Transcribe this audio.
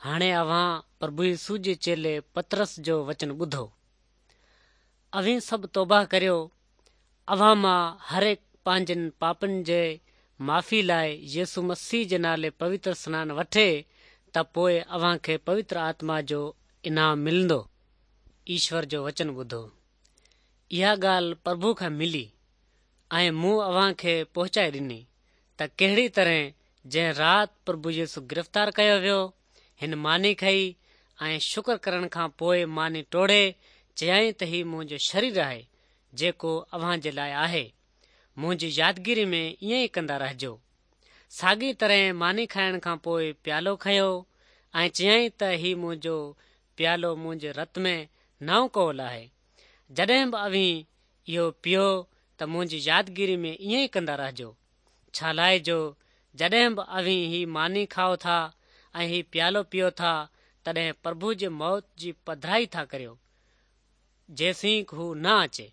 هاڻي اوهان پرڀو يسوع جي چيلي پطرس جو وچن ٻڌو. اوهين سڀ توبه ڪريو، اوهان مان هر هڪ پنهنجن پاپن جي معافي لاء يسوع مسيح جي نالي پوتر سنان وٺي ته پوء اوهان کي پوتر آتما جو انعام ملندو. ايشور جو وچن ٻڌو. اها ڳالهه پرڀو کان ملي ۽ مون اوهان کي پهچائي ڏني ته ڪهڙي طرح جنهن رات پرڀو يسوع گرفتار ڪيو ويو، هن ماني کنئي ۽ شڪر ڪرڻ کان پوء ماني ٽوڙي چيائين ته هي منهنجو شرير آهي، جيڪو اوهان جي لاء آهي. منهنجي يادگيري ۾ ائين ئي ڪندا رهجو. ساڳي طرح ماني کائڻ کان پوء پيالو کنيو ۽ چيائين ته هي منهنجو پيالو منهنجي رت ۾ نئون قول آهي. جڏهن به اوهين اهو پيئو ته منهنجي يادگيري ۾ ائين ئي ڪندا رهجو. ڇالاء جو جڏهن به اوهين هي ماني کائو ٿا ۽ هي پيالو پيئو ٿا، تڏهن پرڀو جي موت جي پڌرائي ٿا ڪريو، جيسين هو نه اچي.